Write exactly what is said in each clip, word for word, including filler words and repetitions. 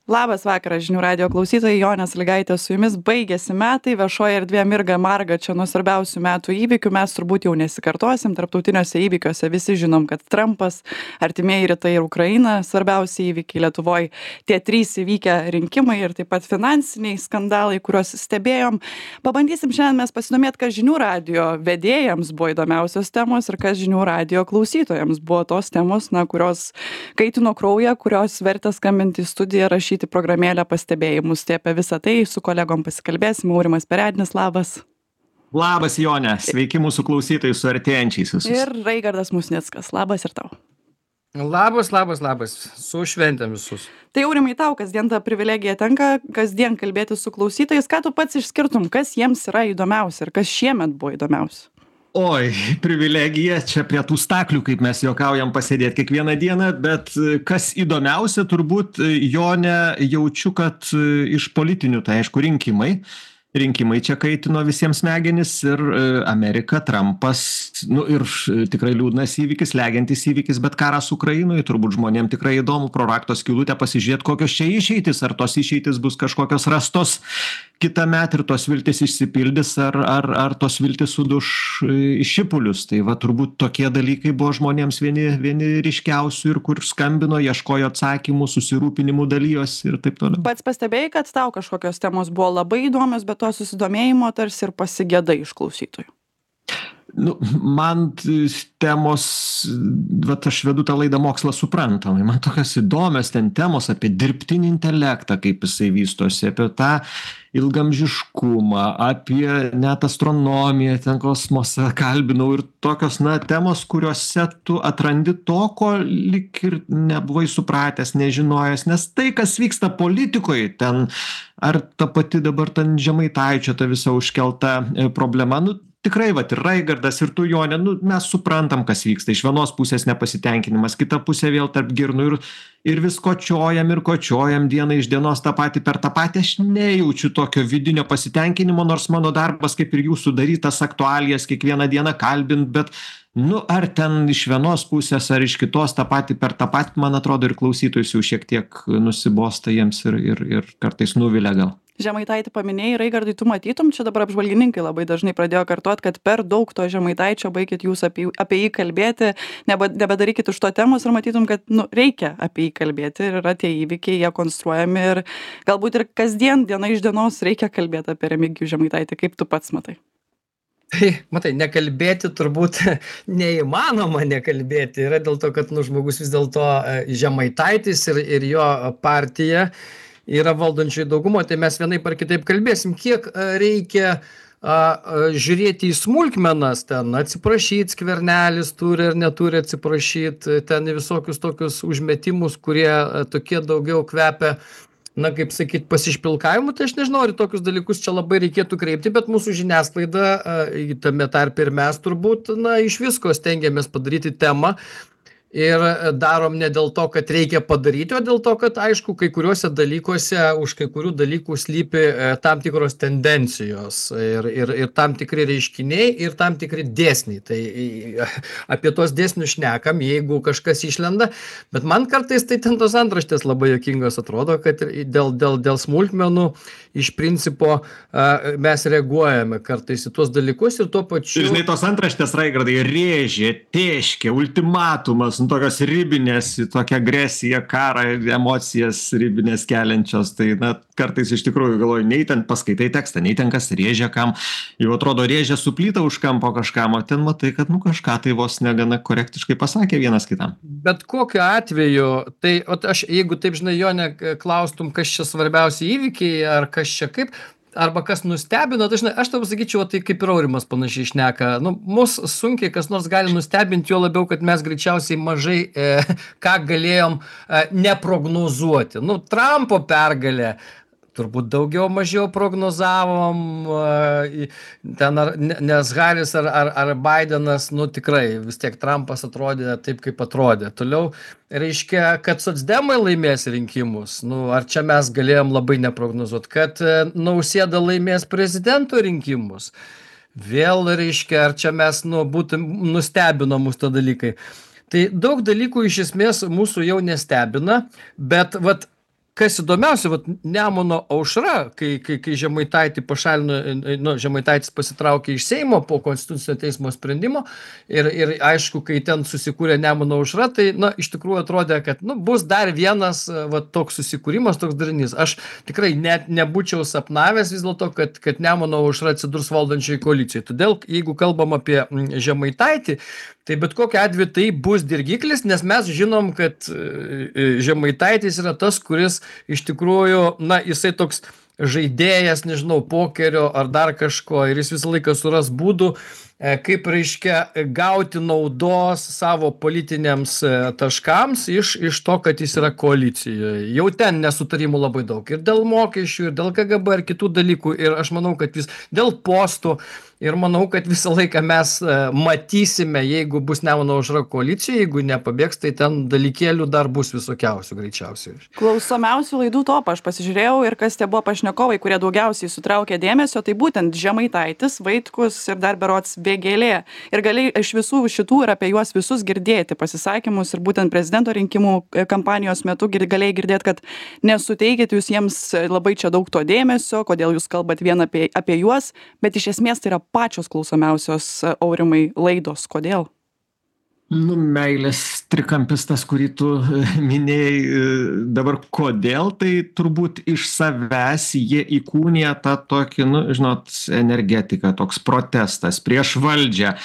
Labas vakaras, žinių radio klausytojai, Jonė Sąlygaitė su jumis. Baigėsi metai, viešoje erdvėje mirga marga čia nuo svarbiausių metų įvykių. Mes turbūt jau nesikartosim, tarptautiniuose įvykiuose visi žinom, kad Trumpas, artimieji rytai ir Ukraina, svarbiausi įvykiai Lietuvoje, tie trys įvykę rinkimai ir taip pat finansiniai skandalai, kuriuos stebėjom. Pabandysim šiandien mes pasidomėti, kas žinių radio vedėjams buvo įdomiausios temos ir kas žinių radio klausytojams buvo tos temos, na, kurios kaitino kraują, kurios vertė skambinti į studiją, rašyti programėlę pastebėjimus. Tai apie visą tai su kolegom pasikalbėsim. Aurimas Perednis, labas. Labas, Jonė. Sveiki mūsų klausytojai su artėjančiais visus. Ir Raigardas Musnickas. Labas ir tau. Labas, labas, labas. Su šventėm visus. Tai Aurimai, tau kasdien tą privilegiją tenka, kasdien kalbėti su klausytojais. Ką tu pats išskirtum, kas jiems yra įdomiausia ir kas šiemet buvo įdomiausia? Oi, privilegija čia prie tų staklių, kaip mes juokaujam, pasėdėti kiekvieną dieną, bet kas įdomiausia, turbūt, Jonė, jaučiu, kad iš politinių, tai aišku, rinkimai. Rinkimai čia kaitino visiems smegenis ir Amerika, Trumpas, nu ir tikrai liūdnas įvykis, legiantis įvykis, bet karas Ukrainoje, turbūt žmonėm tikrai įdomu pro rakto skylutę pasižiūrėti, kokios čia išeitis, ar tos išeitis bus kažkokios rastos kitąmet ir tos viltis išsipildys, ar, ar, ar tos viltis suduš į šipulius. Tai va turbūt tokie dalykai buvo žmonėms vieni, vieni ryškiausių ir kur skambino, ieškojo atsakymų, susirūpinimų dalyjosi ir taip toliau. Pats pastebėjai, kad tau kažkokios temos buvo labai įdomios, bet to susidomėjimo tarsi ir pasigėdai iš klausytojų? Nu, man temos, vat aš vedu tą laidą Mokslas suprantamai, man tokios įdomios ten temos apie dirbtinį intelektą, kaip jisai vystosi, apie tą ilgamžiškumą, apie net astronomiją, ten kosmosą kalbinau ir tokios, na, temos, kuriuose tu atrandi to, ko lyg ir nebuvai supratęs, nežinojęs, nes tai, kas vyksta politikoje, ten ar ta pati dabar ten Žemaitaičio ta visa užkelta problema, nu, tikrai, vat, ir Raigardas, ir tu, Jonė, nu, mes suprantam, kas vyksta. Iš vienos pusės nepasitenkinimas, kita pusė vėl tarp girnų ir, ir vis kočiojam ir kočiojam dieną iš dienos tą patį per tą patį. Aš nejaučiu tokio vidinio pasitenkinimo, nors mano darbas, kaip ir jūsų, darytas aktualijas kiekvieną dieną kalbint, bet, nu, ar ten iš vienos pusės, ar iš kitos tą patį per tą patį, man atrodo, ir klausytojus jau šiek tiek nusibosta jiems ir, ir, ir kartais nuvilia gal. Žemaitaitį paminėjai, Raigardai, tu matytum, čia dabar apžvalgininkai labai dažnai pradėjo kartuot, kad per daug to Žemaitaičio, baikit jūs apie, apie jį kalbėti, nebe, nebedarykit iš to temos ir matytum, kad nu, reikia apie jį kalbėti ir yra tie įvykiai, jie konstruojami ir galbūt ir kasdien, diena iš dienos reikia kalbėti apie Remigijų Žemaitaitį, kaip tu pats matai. Tai, matai, nekalbėti turbūt neįmanoma nekalbėti, yra dėl to, kad nu, žmogus vis dėlto Žemaitaitis ir, ir jo partija yra valdančioji daugumo, tai mes vienaip ar kitaip kalbėsim, kiek reikia a, a, žiūrėti į smulkmenas, ten atsiprašyti, Skvernelis turi ar neturi atsiprašyti, ten visokius tokius užmetimus, kurie a, tokie daugiau kvepia, na, kaip sakyt, pasišpilkavimu, tai aš nežinau, ar tokius dalykus čia labai reikėtų kreipti, bet mūsų žiniasklaida, a, tame tarp ir mes turbūt, na, iš visko stengiamės padaryti temą, ir darom ne dėl to, kad reikia padaryti, o dėl to, kad, aišku, kai kuriuose dalykuose, už kai kurių dalykų slypi tam tikros tendencijos ir, ir, ir tam tikri reiškiniai ir tam tikri dėsniai. Tai apie tos dėsnius šnekam, jeigu kažkas išlenda, bet man kartais tai ten tos antraštės labai juokingos atrodo, kad dėl, dėl, dėl smulkmenų iš principo mes reaguojame kartais į tuos dalykus ir tuo pačiu... Žinai, tos antraštės, Raigardai, rėžė, tėškė, ultimatumas, tokios ribinės, tokia agresija, karą, emocijas ribinės keliančios, tai na, kartais iš tikrųjų galvoju, nei ten paskaitai tekstą, nei ten kas rėžia kam, jau atrodo rėžia suplyta už kampo kažkam, o ten matai, kad nu kažką tai vos negana korektiškai pasakė vienas kitam. Bet kokiu atveju, tai aš, jeigu taip žinai, Jonė, klaustum, kas čia svarbiausi įvykiai, ar kas čia kaip, arba kas nustebino, tai žinai, aš tau pasakyčiau, tai kaip ir Aurimas panašiai šneka, nu, mus sunkiai kas nors gali nustebinti, jo labiau, kad mes greičiausiai mažai e, ką galėjom e, neprognozuoti. Nu, Trumpo pergalė, turbūt daugiau mažiau prognozavom, ten ar, nes Haris ar, ar, ar Bidenas, nu tikrai vis tiek Trumpas atrodė taip, kaip atrodė. Toliau reiškia, kad socdemai laimės rinkimus, nu ar čia mes galėjom labai neprognozuoti, kad Nausėda laimės prezidento rinkimus. Vėl reiškia, ar čia mes nu, būtum nustebino mus to dalykai. Tai daug dalykų iš esmės mūsų jau nestebina, bet vat kas įdomiausia, vat Nemuno aušra, kai, kai, kai Žemaitaitį pašalino, nu, Žemaitaitis pasitraukė iš Seimo po Konstitucinio teismo sprendimo ir, ir aišku, kai ten susikūrė Nemuno aušra, tai, na, iš tikrųjų atrodė, kad, nu, bus dar vienas, va, toks susikūrimas, toks darinys. Aš tikrai net nebūčiau sapnavęs vis dėlto, kad, kad Nemuno aušra atsidurs valdančiai koalicijai. Todėl, jeigu kalbam apie Žemaitaitį, tai bet kokiu atveju tai bus dirgiklis, nes mes žinom, kad Žemaitaitis yra tas, kuris iš tikrųjų, na, jisai toks žaidėjas, nežinau, pokerio ar dar kažko ir jis visą laiką suras būdų, kaip reiškia gauti naudos savo politiniams taškams iš, iš to, kad jis yra koalicijoje. Jau ten nesutarimų labai daug ir dėl mokesčių, ir dėl K G B ir kitų dalykų ir aš manau, kad vis dėl postų. Ir manau, kad visą laiką mes matysime, jeigu bus Nemuno aušra koalicija, jeigu nepabėgs, tai ten dalykėlių dar bus visokiausių greičiausiai. Klausomiausių laidų topą aš pasižiūrėjau ir kas tie buvo pašnekovai, kurie daugiausiai sutraukė dėmesio, tai būtent Žemaitaitis, Vaitkus ir dar berods Vėgėlė. Ir gali iš visų šitų ir apie juos visus girdėti pasisakymus ir būtent prezidento rinkimų kampanijos metu galėjai girdėti, kad nesuteikit jūs jiems labai čia daug to dėmesio, kodėl jūs kalbat vien apie, apie juos, bet iš esmės tai yra pačios klausomiausios, Aurimai, laidos. Kodėl? Nu, meilės trikampis tas, kurį tu minėjai dabar, kodėl, tai turbūt iš savęs jie įkūnija tą tokį, nu, žinot, energetiką, toks protestas prieš valdžią,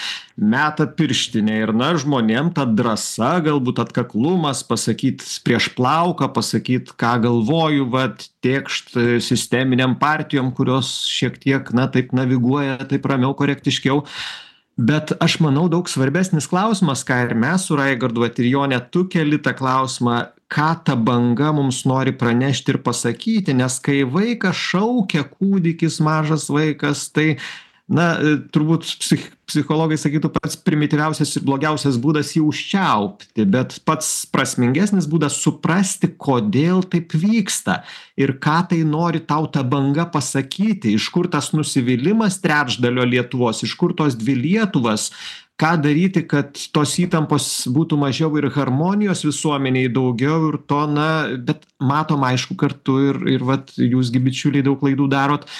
meta pirštinę ir, na, žmonėm ta drąsa, galbūt atkaklumas, pasakyt prieš plauką, pasakyt, ką galvoju, vat, tėkšt sisteminiam partijom, kurios šiek tiek, na, taip naviguoja, taip ramiau, korektiškiau. Bet aš manau, daug svarbesnis klausimas, ką ir mes su Raigardu ir Jonė, tu keli tą klausimą, ką ta banga mums nori pranešti ir pasakyti, nes kai vaikas šaukia, kūdikis, mažas vaikas, tai, na, turbūt psich, psichologai sakytų, pats primityviausias ir blogiausias būdas jį užčiaupti, bet pats prasmingesnis būdas suprasti, kodėl taip vyksta ir ką tai nori tau ta banga pasakyti, iš kur tas nusivylimas trečdalio Lietuvos, iš kur tos dvi Lietuvas, ką daryti, kad tos įtampos būtų mažiau ir harmonijos visuomeniai daugiau ir to, na, bet matom aišku kartu ir, ir vat, jūsgi bičiuliai daug klaidų darot,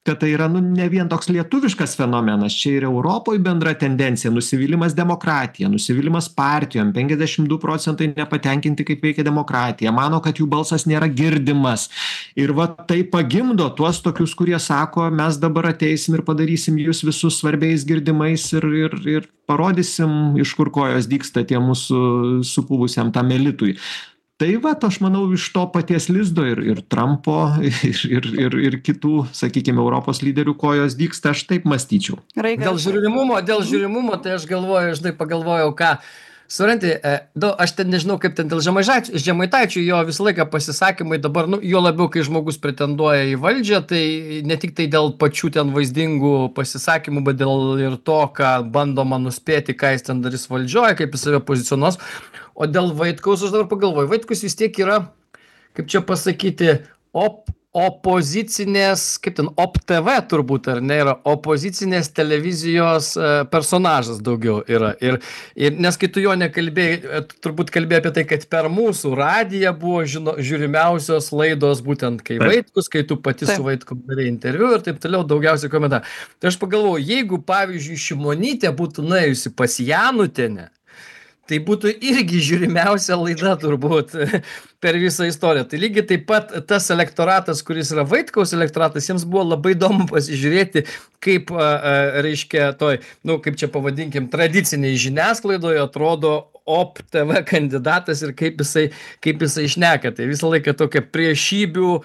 kad tai yra, nu, ne vien toks lietuviškas fenomenas, čia ir Europoje bendra tendencija, nusivylimas demokratija, nusivylimas partijom, penkiasdešimt du procentai nepatenkinti, kaip veikia demokratija, mano, kad jų balsas nėra girdimas. Ir va tai pagimdo tuos tokius, kurie sako, mes dabar ateisim ir padarysim jūs visus svarbiais girdimais ir, ir, ir parodysim, iš kur kojos dygsta tie mūsų supūvusiam tam elitui. Tai va, aš manau, iš to paties lizdo ir, ir Trumpo, ir, ir, ir, ir kitų, sakykime, Europos lyderių kojos dygsta, aš taip mąstyčiau. Dėl žiūrimumo, dėl žiūrimumo, tai aš galvoju, aš taip pagalvojau, ką, suranti, du, aš ten nežinau, kaip ten dėl Žemaitaičio, jo visą laiką pasisakymai dabar, nu, jo labiau, kai žmogus pretenduoja į valdžią, tai ne tik tai dėl pačių ten vaizdingų pasisakymų, bet dėl ir to, ką bandoma nuspėti, ką jis ten darys valdžioje, kaip jis save pozicionuos. O dėl Vaitkaus aš dabar pagalvoju, Vaitkus vis tiek yra, kaip čia pasakyti, op, opozicinės, kaip ten, op T V turbūt, ar ne, yra opozicinės televizijos personažas daugiau yra. Ir, ir nes kai tu jo nekalbėjai, turbūt kalbėjai apie tai, kad per mūsų radiją buvo žino, žiūrimiausios laidos būtent kai Vaitkus, kai tu pati su Vaitkum darei interviu ir taip toliau, daugiausiai komentarų. Tai aš pagalvoju, jeigu pavyzdžiui Šimonytė būtų nuėjusi pas Janutienę, tai būtų irgi žiūrimiausia laida turbūt per visą istoriją. Tai lygiai taip pat tas elektoratas, kuris yra Vaitkaus elektoratas, jiems buvo labai įdomu pasižiūrėti, kaip, reiškia, toj, nu, kaip čia pavadinkim, tradiciniai žiniasklaidoje atrodo op T V kandidatas ir kaip jisai, kaip jisai šneka. Tai visą laiką tokia priešybių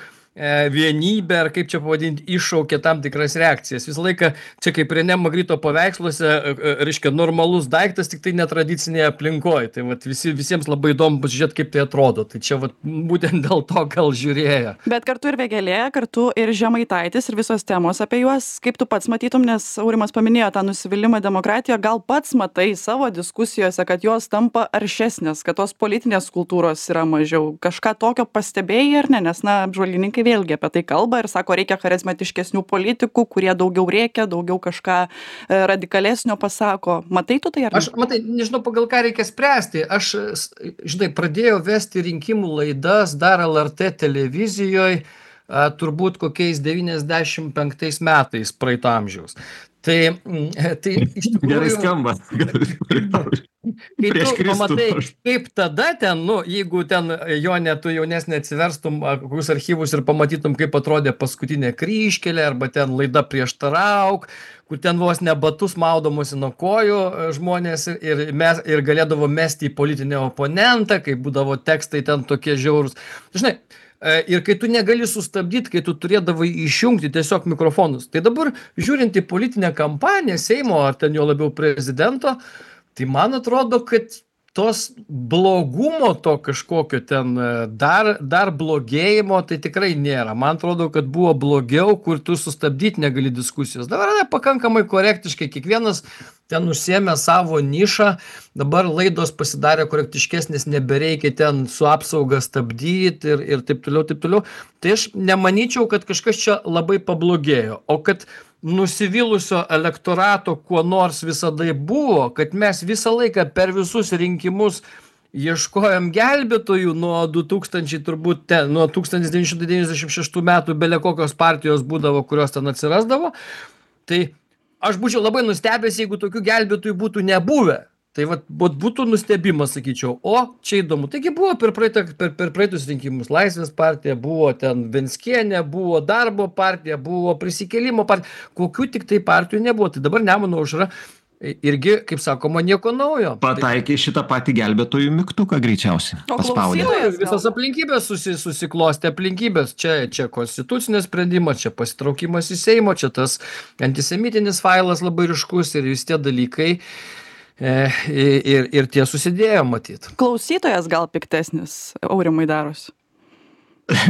vienybė, ar kaip čia pavadinti, iššaukia tam tikras reakcijas. Visą laiką, čia kaip Renė Magrito paveiksluose, reiškia, normalus daiktas, tik tai netradicinėje aplinkoje. Tai vat, visi, visiems labai įdomu pasižiūrėti, kaip tai atrodo. Tai čia vat, būtent dėl to gal žiūrėjo. Bet kartu ir Vėgėlė, kartu ir Žemaitaitis ir visos temos apie juos, kaip tu pats matytum, nes Aurimas paminėjo tą nusivylimą demokratiją, gal pats matai savo diskusijose, kad jos tampa aršesnės, kad tos politinės kultūros yra mažiau. Kažką tokio pastebėjai ar ne? Nes, na, apžvalgininkai politikai vėlgi apie tai kalba ir sako, reikia charizmatiškesnių politikų, kurie daugiau rėkia, daugiau kažką e, radikalesnio pasako. Matai tu tai ar ne? Aš, matai, nežinau, pagal ką reikia spręsti. Aš, žinai, pradėjau vesti rinkimų laidas dar L R T televizijoje, turbūt kokiais devyniasdešimt penktais metais praeito amžiaus. Tai, tai iš tikrųjų... Gerai skamba. Kai tu pamatai, kaip tada ten, nu, jeigu ten, Jone, tu jaunesnė atsiverstum kokius archyvus ir pamatytum, kaip atrodė paskutinė kryžkelė, arba ten laida Prieštarauk, kur ten vos ne batus maudomosi nuo kojų žmonės ir, mes, ir galėdavo mesti į politinį oponentą, kai būdavo tekstai ten tokie žiaurūs. Žinai, ir kai tu negali sustabdyti, kai tu turėdavai išjungti tiesiog mikrofonus. Tai dabar, žiūrint į politinę kampaniją Seimo ar ten jo labiau prezidento, tai man atrodo, kad tos blogumo to kažkokio ten dar, dar blogėjimo tai tikrai nėra. Man atrodo, kad buvo blogiau, kur tu sustabdyti negali diskusijos. Dabar ne, pakankamai korektiškai, kiekvienas ten užsiėmė savo nišą, dabar laidos pasidarė korektiškesnės, nebereikia ten su apsauga stabdyti ir, ir taip toliau, taip toliau. Tai aš nemanyčiau, kad kažkas čia labai pablogėjo, o kad nusivylusio elektorato kuo nors visada buvo, kad mes visą laiką per visus rinkimus ieškojom gelbėtojų nuo du tūkstančiai turbūt ten, nuo tūkstantis devyni šimtai devyniasdešimt šeštų metų bele kokios partijos būdavo, kurios ten atsirasdavo, tai aš būčiau labai nustebęs, jeigu tokių gelbėtojų būtų nebuvę. Tai vat, būtų nustebimas, sakyčiau, o čia įdomu. Taigi buvo per, praeitą, per, per praeitus rinkimus Laisvės partija, buvo ten Venckienė, buvo Darbo partija, buvo Prisikėlimo partija, kokių tik tai partijų nebuvo. Tai dabar Nemuno aušra irgi, kaip sakoma, nieko naujo. Pataikė šitą patį gelbėtojų mygtuką greičiausiai. Paspaudė. Visas aplinkybės susi, susiklostė aplinkybės. Čia, čia konstitucinės sprendimas, čia pasitraukimas į Seimo, čia tas antisemitinis failas labai ryškus ir vis tie dalykai. Ir, ir tie susidėjo, matyt. Klausytojas gal piktesnis, Aurimai, darosi?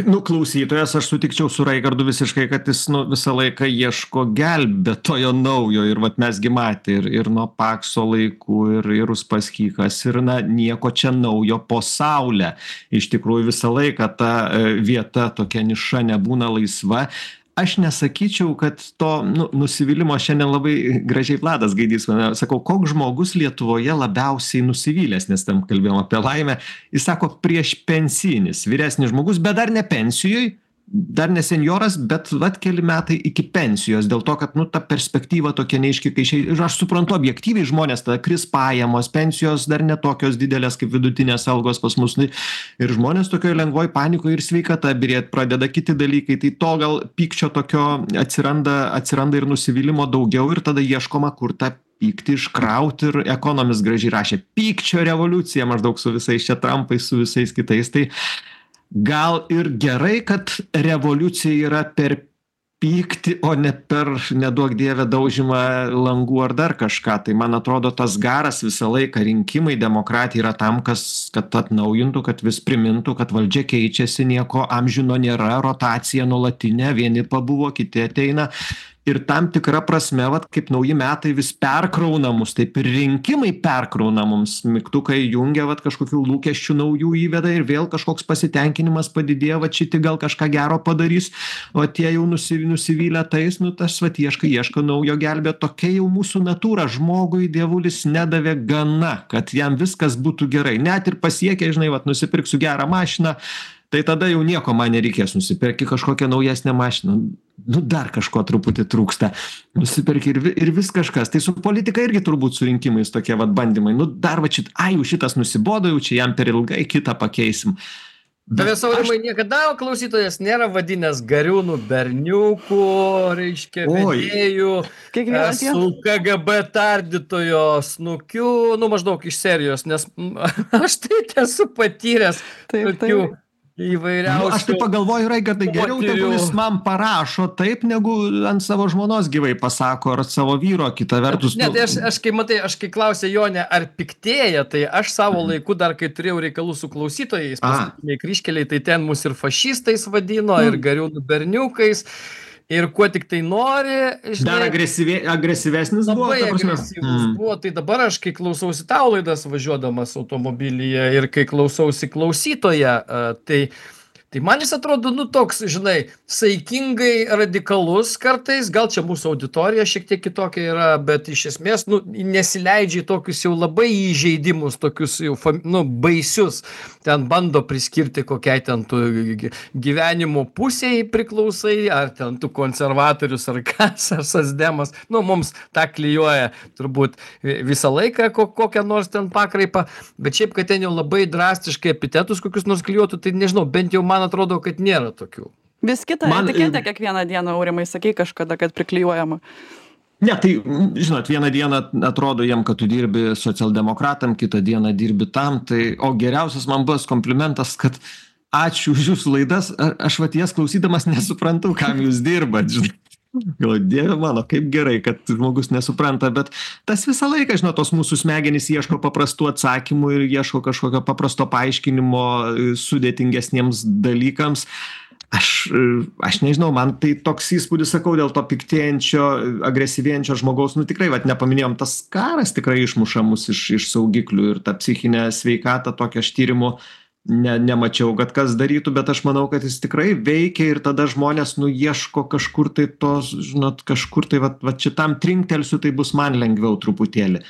Nu, klausytojas, aš sutikčiau su Raigardu visiškai, kad jis nu, visą laiką ieško gelbėtojo naujo. Ir vat mesgi matė ir, ir nuo Pakso laikų, ir, ir Uspaskichas, ir na, nieko čia naujo po saulę. Iš tikrųjų visą laiką ta vieta, tokia niša nebūna laisva. Aš nesakyčiau, kad to nu, nusivylimo šiandien labai gražiai Vladas Gaidys, sakau, koks žmogus Lietuvoje labiausiai nusivylęs, nes tam kalbėjom apie laimę, jis sako prieš pensinis, vyresnis žmogus, bet dar ne pensijoj, dar ne senjoras, bet vat keli metai iki pensijos, dėl to, kad nu, ta perspektyva tokia neaiški, kai šiai, ir aš suprantu objektyviai žmonės, tada kris pajamos, pensijos dar netokios didelės kaip vidutinės algos pas mus, ir žmonės tokioje lengvoj panikoje ir sveikata birėt pradeda kiti dalykai, tai to gal pykčio tokio atsiranda, atsiranda ir nusivylimo daugiau ir tada ieškoma, kur tą pyktį iškrauti ir Ekonomis gražiai rašė, pykčio revoliucija maždaug su visais čia Trumpais, su visais kitais, tai gal ir gerai, kad revoliucija yra per pyktį, o ne per, neduok dievę, daužymą langų ar dar kažką. Tai man atrodo, tas garas visą laiką rinkimai, demokratija yra tam, kas, kad atnaujintų, kad vis primintų, kad valdžia keičiasi, nieko amžino nėra, rotacija nuolatinė, vieni pabuvo, kiti ateina. Ir tam tikra prasme, vat, kaip nauji metai vis perkrauna mus, taip ir rinkimai perkrauna mums, mygtukai jungia, vat, kažkokių lūkesčių naujų įveda ir vėl kažkoks pasitenkinimas padidėjo, vat šiti gal kažką gero padarys, o tie jau nusivylę tais, nu tas vat ieška, ieška naujo gelbė, tokia jau mūsų natūra, žmogui dievulis nedavė gana, kad jam viskas būtų gerai, net ir pasiekę, žinai, vat nusipirksiu gerą mašiną, tai tada jau nieko man nereikės, nusipirki kažkokią naujesnę mašiną, nu dar kažko truputį trūksta, nusipirki ir, ir vis kažkas. Tai su politika irgi turbūt su rinkimais tokie vat bandymai, nu dar va šit, ai jau šitas nusibodo, jau čia jam per ilgai kitą pakeisim. Tavęs, Aurimai, aš... niekada klausytojas nėra vadinęs Gariūnų berniukų, reiškia, vedėjų, su K G B tardytojo snukiu, nu maždaug iš serijos, nes aš tai esu patyręs taip, tokių taip. Įvairiausių. Nu, aš tai pagalvoju, Raigardai, geriau tegul jis man parašo taip, negu ant savo žmonos gyvai pasako, ar savo vyro, kita vertus. Ne, tai aš, aš kai matai, aš kai klausė Jonė, ar piktėja, tai aš savo laiku dar, kai turėjau reikalų su klausytojais, paskutiniai kryžkeliai, tai ten mus ir fašistais vadino, mm. ir Gariūnų berniukais. Ir kuo tik tai nori. Žinai, dar agresyvė, agresyvesnis buvo. Labai agresyvus mm. buvo. Tai dabar aš, kai klausausi tau laidas važiuodamas automobilyje ir kai klausausi klausytoje, tai Tai man jis atrodo, nu, toks, žinai, saikingai radikalus kartais, gal čia mūsų auditorija šiek tiek kitokia yra, bet iš esmės, nu, nesileidžia į tokius jau labai įžeidimus, tokius jau, fam- nu, baisius. Ten bando priskirti kokiai ten tu gy- gyvenimo pusiai priklausai, ar ten tu konservatorius, ar kas, ar sasdemas. Nu, mums tą klijuoja turbūt vi- visą laiką ko- kokią nors ten pakraipą, bet šiaip, kad ten jau labai drastiškai epitetus kokius nors klijuotų, tai nežinau, bent jau man atrodo, kad nėra tokių. Vis kitą Man, etiketę e, kiekvieną dieną, Aurimai, sakei kažkada, kad priklijuojama. Ne, tai, mm, žinot, vieną dieną atrodo jiem, kad tu dirbi socialdemokratam, kitą dieną dirbi tam, tai, o geriausias man buvęs komplimentas, kad ačiū už jūsų laidas, a- aš vat jas klausydamas nesuprantu, kam jūs dirbat, žinai. Galvoju, Dieve mano, kaip gerai, kad žmogus nesupranta, bet tas visą laiką, žinot, tos mūsų smegenys ieško paprastų atsakymų ir ieško kažkokio paprasto paaiškinimo e, sudėtingesniems dalykams. Aš, e, aš nežinau, man tai toks įspūdis, sakau, dėl to piktėjančio, agresyvėjančio žmogaus, nu tikrai, vat, nepaminėjom, tas karas tikrai išmuša mus iš, iš saugiklių ir tą psichinę sveikatą tokią aš tyrimų ne, nemačiau, kad kas darytų, bet aš manau, kad jis tikrai veikia ir tada žmonės, nu, ieško kažkur tai tos, žinot, kažkur tai, vat, vat šitam trinktelsiu, tai bus man lengviau truputėlį.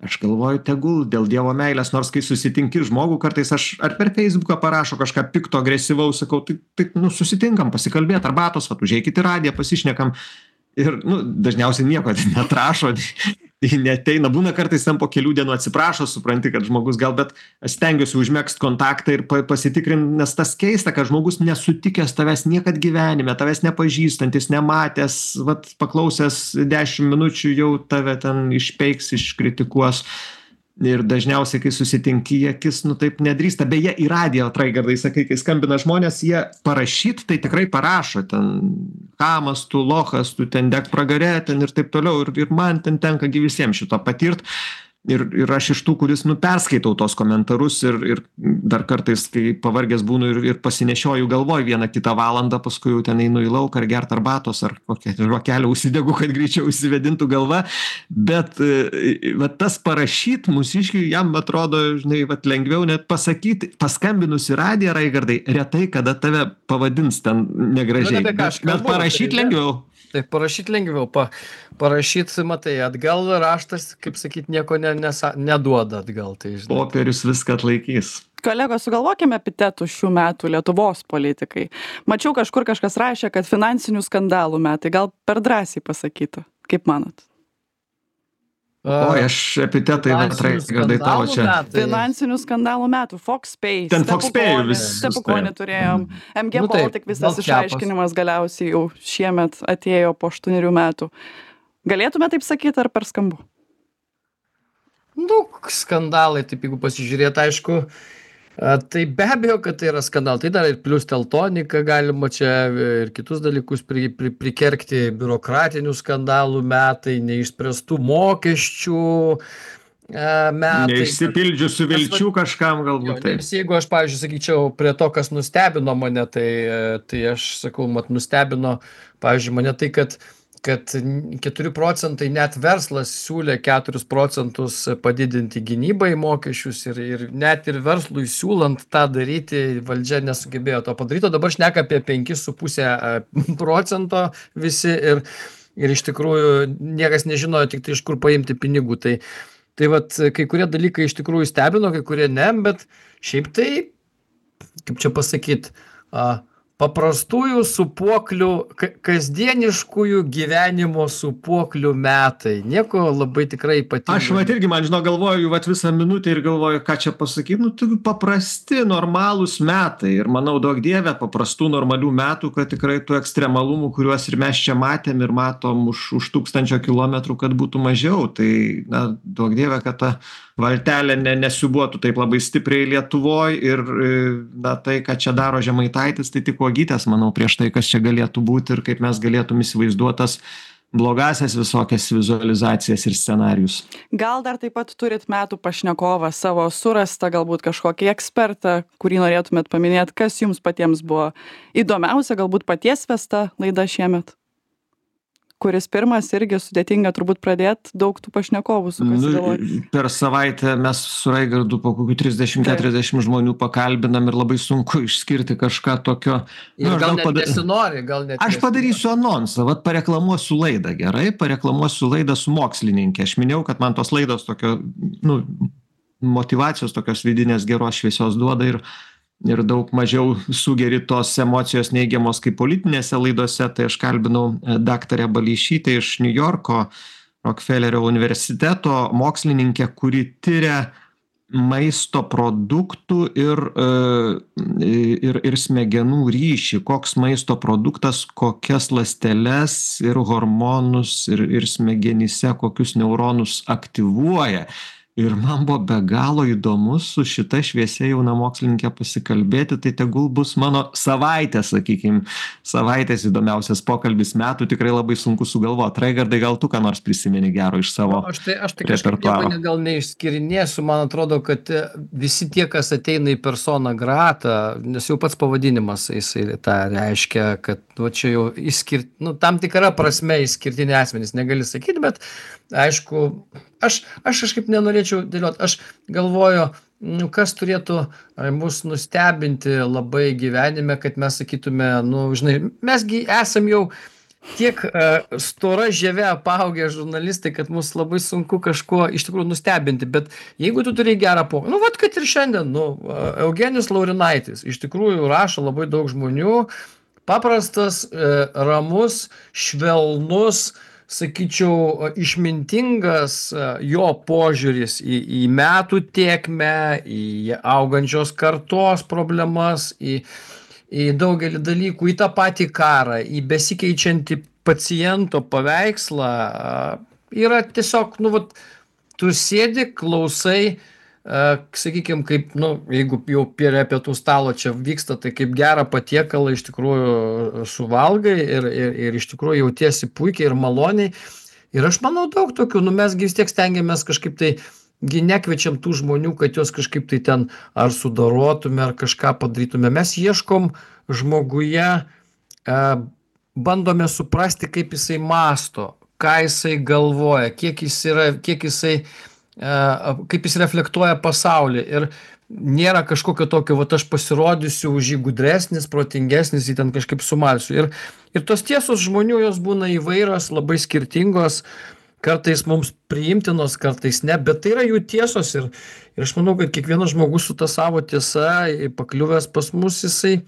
Aš galvoju, tegul dėl Dievo meilės, nors kai susitinki žmogų, kartais aš ar per Facebooką parašo kažką pikto, agresyvaus, sakau, tai, tai nu, susitinkam, pasikalbėt, arbatos, vat, užeikit į radiją, pasišnekam. Ir, nu, dažniausiai nieko neatrašo, neteina, būna kartais ten po kelių dienų atsiprašo, supranti, kad žmogus gal, bet aš stengiuosi užmegzt kontaktą ir pa- pasitikrint, nes tas keista, kad žmogus nesutikęs tavęs niekad gyvenime, tavęs nepažįstantis, nematęs, vat, paklausęs dešimt minučių jau tave ten išpeiks, iškritikuos. Ir dažniausiai, kai susitinki, jie akis, nu taip nedrįsta. Beje, į radiją, Raigardai, sakai, kai skambina žmonės, jie parašyt, tai tikrai parašo ten, kamas, tu lochas, tu ten deg pragare, ten ir taip toliau. Ir, ir man ten tenka gi visiems šito patirt. Ir, ir aš iš tų, kuris, nu, perskaitau tos komentarus ir, ir dar kartais, kai pavargęs būnu ir, ir pasinešioju galvoj vieną kitą valandą, paskui jau ten einu į lauką ar gert arbatos, ar kokią žvakelę užsidegu, kad greičiau užsivedintų galva. Bet e, va, tas parašyt mūsiškiui, jam atrodo, žinai, va, lengviau net pasakyti, paskambinus į radiją, Raigardai, retai kada tave pavadins ten negražiai. Nu, ne apie ką bet, aš bet kalbu, parašyt tai- lengviau. Tai parašyti lengviau, pa, parašyti, matai, atgal raštas, kaip sakyti, nieko ne, nesa, neduoda atgal. Tai, žinai. Popierius viską atlaikys. Kolegos, sugalvokime epitetų šių metų Lietuvos politikai. Mačiau kažkur kažkas rašė, kad finansinių skandalų metai. Gal per drąsiai pasakytų? Kaip manot? Oi, aš epitetai, va, Raigardai, tavo čia. Finansinių skandalų metų. Fox Pay, Ten Fox Pay Stepukonį- vis- Stepukonį turėjom. M G Nu taip, Baltic visas Baltkepas. išaiškinimas galiausiai jau šiemet atėjo po aštuonerių metų. Galėtume taip sakyti ar per skambu? Nu, skandalai, taip jeigu pasižiūrėt, aišku, a, tai be abejo, kad tai yra skandalai. Tai dar ir plius teltonika galima čia ir kitus dalykus pri, pri, prikergti, biurokratinių skandalų metai, neišspręstų mokesčių a, metai. Neišsipildžiusių vilčių kažkam Jo, galbūt taip. nes jeigu aš, pavyzdžiui, sakyčiau, prie to, kas nustebino mane, tai, e, tai aš sakau, mat, nustebino, pavyzdžiui, mane tai, kad kad keturi procentai net verslas siūlė keturis procentus padidinti gynybai mokesčius ir, ir net ir verslui siūlant tą daryti, valdžia nesugebėjo to padaryti, o dabar šneka apie penkis su pusė procento visi ir, ir iš tikrųjų niekas nežinojo tik tai iš kur paimti pinigų. Tai, tai vat, kai kurie dalykai iš tikrųjų stebino, kai kurie ne, bet šiaip tai, kaip čia pasakyti, paprastųjų sūpuoklių, ka- kasdieniškųjų gyvenimo sūpuoklių metai. Nieko labai tikrai ypatingo. Aš vat irgi, man žinau, galvoju vat visą minutę ir galvoju, ką čia pasakyti. Nu, tai paprasti, normalūs metai. Ir manau, daug dievė, paprastų, normalių metų, kad tikrai tų ekstremalumų, kuriuos ir mes čia matėm ir matom už, už tūkstančio kilometrų, kad būtų mažiau. Tai, na, daug dievė, kad ta valtelė ne, nesiubuotų taip labai stipriai Lietuvoj ir, na, tai, ką čia daro Žemaitaitis, tai tik uogytės, manau, prieš tai, kas čia galėtų būti ir kaip mes galėtum įsivaizduotas blogasias visokias vizualizacijas ir scenarius. Gal dar taip pat turit metų pašnekovą savo surastą, galbūt kažkokį ekspertą, kurį norėtumėt paminėti, kas jums patiems buvo įdomiausia, galbūt paties vesta laida šiemet? kuris pirmas irgi sudėtinga turbūt pradėt, daug tų pašnekovų sukasi Nu, galvoj. per savaitę mes su Raigardu po kokių trisdešim keturiasdešim žmonių pakalbinam ir labai sunku išskirti kažką tokio. Ir Nu, aš gal gal net pada- nesinori, gal net Aš nesinori. padarysiu anonsą, vat pareklamuosiu laidą, gerai, pareklamuosiu laidą su mokslininkė. Aš minėjau, kad man tos laidos tokio, nu, motyvacijos tokios vidinės geros šviesios duoda ir, ir daug mažiau sugeri tos emocijos neigiamos kaip politinėse laidose. Tai aš kalbinau e, daktarę Baleišytę iš New Yorko Rockefellerio universiteto, mokslininkę, kuri tyria maisto produktų ir, e, ir, ir smegenų ryšį, koks maisto produktas, kokias ląsteles ir hormonus ir, ir smegenyse, kokius neuronus aktyvuoja. Ir man buvo be galo įdomu su šita šviesia jauna mokslininkė pasikalbėti, tai tegul bus mano savaitė, sakykim, savaitės įdomiausias pokalbis metų, tikrai labai sunku sugalvoti. Raigardai, gal tu ką nors prisimeni gero iš savo Aš tai, aš tai kažkaip repertuaro? nieko ne- gal neišskirinėsiu, man atrodo, kad e, visi tie, kas ateina į persona grata, nes jau pats pavadinimas jisai tą reiškia, kad va, čia jau išskirt, nu, tam tikra prasme išskirtiniai asmenys, negali sakyti, bet aišku, aš, aš kažkaip nenorėčiau dėlioti, aš galvoju, nu, kas turėtų e, mus nustebinti labai gyvenime, kad mes sakytume, nu, žinai, mesgi esam jau tiek uh, stora žieve apaugę žurnalistai, kad mus labai sunku kažkuo iš tikrųjų nustebinti, bet jeigu tu turi gerą pokalbį, nu, vat, kad ir šiandien, nu, uh, Eugenijus Laurinaitis, iš tikrųjų rašo labai daug žmonių, paprastas, uh, ramus, švelnus, sakyčiau, išmintingas uh, jo požiūris į, į metų tėkmę, į augančios kartos problemas, į į daugelį dalykų, į tą patį karą, į besikeičiantį paciento paveikslą, yra tiesiog, nu, vat, tu sėdi, klausai, sakykime, kaip, nu, jeigu jau prie pietų stalo čia vyksta, tai kaip gerą patiekalą iš tikrųjų suvalgai ir, ir, ir iš tikrųjų jautiesi puikiai ir maloniai. Ir aš manau daug tokių, nu, mes vis tiek stengiamės kažkaip tai gi nekviečiam tų žmonių, kad juos kažkaip tai ten ar sudarotume, ar kažką padarytume. Mes ieškom žmoguje, e, bandome suprasti, kaip jisai masto, ką jisai galvoja, kiek jis yra, kiek jisai, e, kaip jis reflektuoja pasaulį. Ir nėra kažkokio tokio, va, aš pasirodysiu už jį gudresnis, protingesnis, jį ten kažkaip sumalsiu. Ir, ir tos tiesos žmonių, jos būna įvairios, labai skirtingos, kartais mums priimtinos, kartais ne, bet tai yra jų tiesos ir, ir aš manau, kad kiekvienas žmogus su ta savo tiesa pakliuvęs pas mus, jisai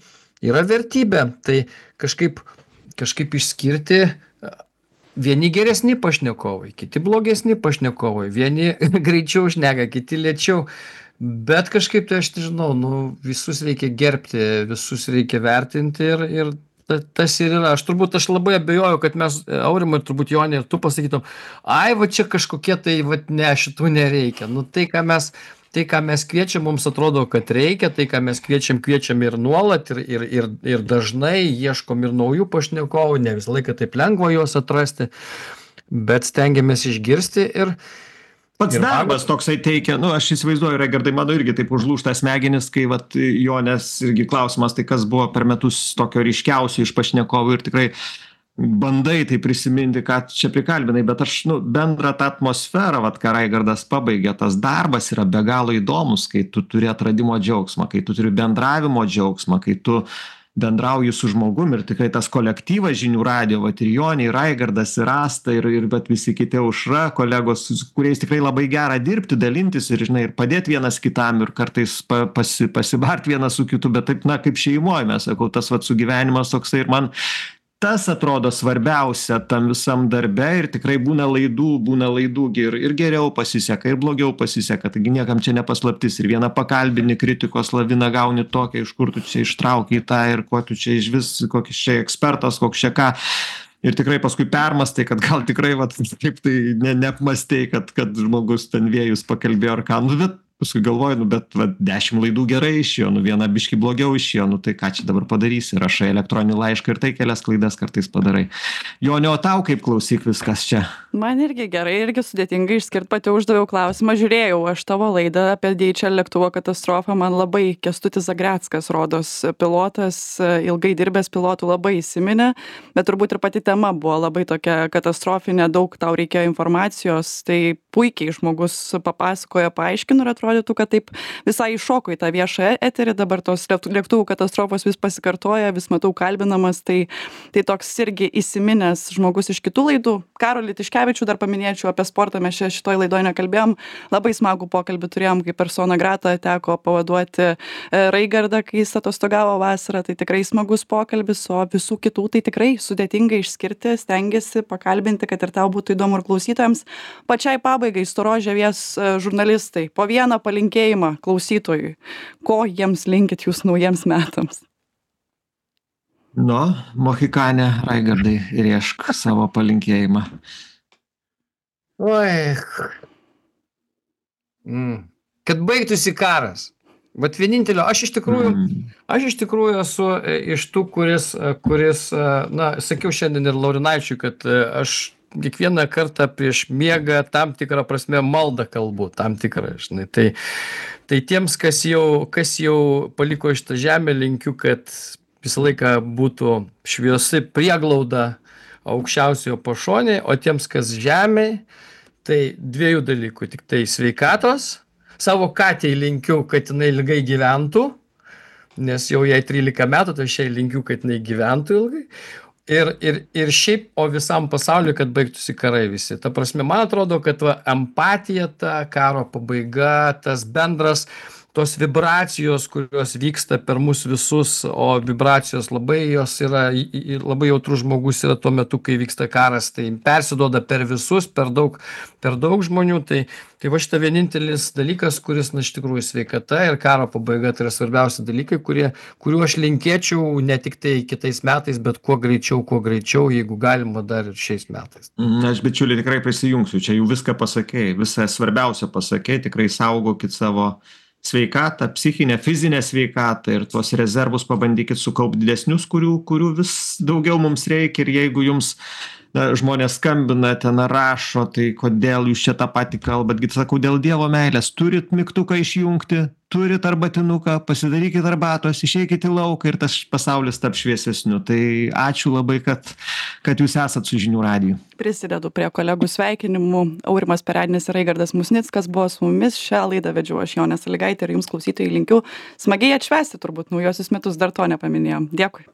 yra vertybė. Tai kažkaip, kažkaip išskirti vieni geresni pašnekovai, kiti blogesni pašnekovai, vieni greičiau šneka, kiti lėčiau, bet kažkaip tai aš nežinau, nu, visus reikia gerbti, visus reikia vertinti ir, ir tas ir yra. Aš turbūt, aš labai abejoju, kad mes, Aurimai, turbūt Jonė, ir tu pasakytum, ai, va čia kažkokie tai, va ne, šitų nereikia. Nu, tai, ką mes, tai, ką mes kviečiam, mums atrodo, kad reikia, tai, ką mes kviečiam, kviečiam ir nuolat, ir, ir, ir, ir dažnai ieškom ir naujų pašnekovų, ne visą laiką taip lengva juos atrasti, bet stengiamės išgirsti ir Pats Ir darbas toksai teikia, nu, aš įsivaizduoju, Raigardai, mano irgi taip užlūžta smegenis, kai, vat, Jonės irgi klausimas, tai kas buvo per metus tokio ryškiausio iš pašnekovų ir tikrai bandai tai prisiminti, ką čia prikalbinai, bet aš, nu, bendrą tą atmosferą, vat, ką Raigardas pabaigė, tas darbas yra be galo įdomus, kai tu turi atradimo džiaugsmą, kai tu turi bendravimo džiaugsmą, kai tu bendrauji su žmogum ir tikrai tas kolektyvas žinių radijo, vat ir Jonė, ir Raigardas, ir Asta, ir, ir bet visi kiti Aušra, kolegos, su kuriais tikrai labai gera dirbti, dalintis ir, žinai, ir padėti vienas kitam ir kartais pa, pasi, pasibart vienas su kitu, bet taip, na, kaip šeimoje, mes sakau, tas vat sugyvenimas toksai ir man tas atrodo svarbiausia tam visam darbe ir tikrai būna laidų, būna laidų ir, ir geriau pasiseka, ir blogiau pasiseka, taigi niekam čia nepaslaptis ir vieną pakalbini kritikos laviną gauni tokią, iš kur tu čia ištrauki tą ir kuo tu čia iš vis, kokis čia ekspertas, koks čia ką. Ir tikrai paskui permastai, kad gal tikrai, vat, kaip tai ne, neapmastei, kad, kad žmogus ten vėjus pakalbėjo ar ką. Nu, bet paskui galvoju, nu, bet va, dešimt laidų gerai išėjo, nu, viena biški blogiau išėjo, nu, tai ką čia dabar padarysi, rašai elektroninį laišką ir tai kelias klaidas kartais padarai. Jonio, o tau kaip klausyk viskas čia? Man irgi gerai, irgi sudėtingai išskirti, pati uždaviau klausimą, žiūrėjau aš tavo laidą apie D H L lėktuvo katastrofą, man labai Kęstutis Zagreckas, rodos, pilotas, ilgai dirbęs pilotų, labai įsiminė, bet turbūt ir pati tema buvo labai tokia katastrofinė, daug tau reikėjo informacijos, tai puikiai žmogus papasakojo, paaiškino ir atrodytų, kad taip visai iššoko į tą viešą eterį, dabar tos lėktuvų katastrofos vis pasikartoja, vis matau kalbinamas, tai, tai toks irgi įsiminęs žmogus iš kitų laidų. Karolį Tiškevičių dar paminėčiau, apie sportą mes čia šitoj laidoje nekalbėjom, labai smagų pokalbį turėjom, kaip persona grata teko pavaduoti Raigardą, kai jis atostogavo vasarą, tai tikrai smagus pokalbis, o visų kitų tai tikrai sudėtinga išskirti, stengiasi pakalbinti, kad ir tau būtų įdomu ir klausytojams. Pačiai pabaigai Storos žievės žurnalistai, po vieną palinkėjimą klausytojui, ko jiems linkit jūs naujiems metams? Nu, Mohikane, Raigardai, riešk savo palinkėjimą. Oi. Mm. Kad baigtųsi karas. Bet vienintelio, aš iš tikrųjų, mm. aš iš tikrųjų esu iš tų, kuris, kuris, na, sakiau šiandien ir Laurinaičiui, kad aš kiekvieną kartą prieš miegą tam tikrą prasme maldą kalbu, tam tikrą, žinai. Tai, tai tiems, kas jau, kas jau paliko šitą žemę, linkiu, kad visą laiką būtų šviesi prieglauda aukščiausiojo pašonėje, o tiems, kas žemėje, tai dviejų dalykų, tik tai sveikatos, savo katei linkiu, kad jinai ilgai gyventų, nes jau jai trylika metų, tai aš jai linkiu, kad jinai gyventų ilgai. Ir, ir, ir šiaip, o visam pasauliu, kad baigtųsi karai visi. Ta prasme, man atrodo, kad va, empatija, ta karo pabaiga, tas bendras, tos vibracijos, kurios vyksta per mus visus, o vibracijos labai jos yra, labai jautrus žmogus yra tuo metu, kai vyksta karas, tai persiduoda per visus, per daug, per daug žmonių, tai, tai va šita vienintelis dalykas, kuris, na, iš tikrųjų sveikata ir karo pabaiga, tai yra svarbiausi dalykai, kurie, kuriuo aš linkėčiau ne tik tai kitais metais, bet kuo greičiau, kuo greičiau, jeigu galima dar ir šiais metais. Na, aš bičiuliai tikrai prisijungsiu, čia jau viską pasakėjai, visą svarbiausia pasakėjai, tikrai saugokit savo sveikatą, psichinę, fizinę sveikatą ir tuos rezervus pabandykit sukaupti didesnius, kurių, kurių vis daugiau mums reikia ir jeigu jums na, žmonės skambina, ten rašo, tai kodėl jūs čia tą patį kalbat, git sakau, dėl Dievo meilės, turit mygtuką išjungti, turit arbatinuką, pasidarykit arbatos, išeikit į lauką ir tas pasaulis taps šviesesniu. Tai ačiū labai, kad, kad jūs esat su Žinių radiju. Prisidedu prie kolegų sveikinimų. Aurimas Perednis ir Raigardas Musnickas buvo su mumis. Šią laidą vedžiau aš, Jonė Sąlygaitė, ir jums klausytojai linkiu smagiai atšvęsti turbūt naujosius metus, dar to nepaminėjom. Dėkui.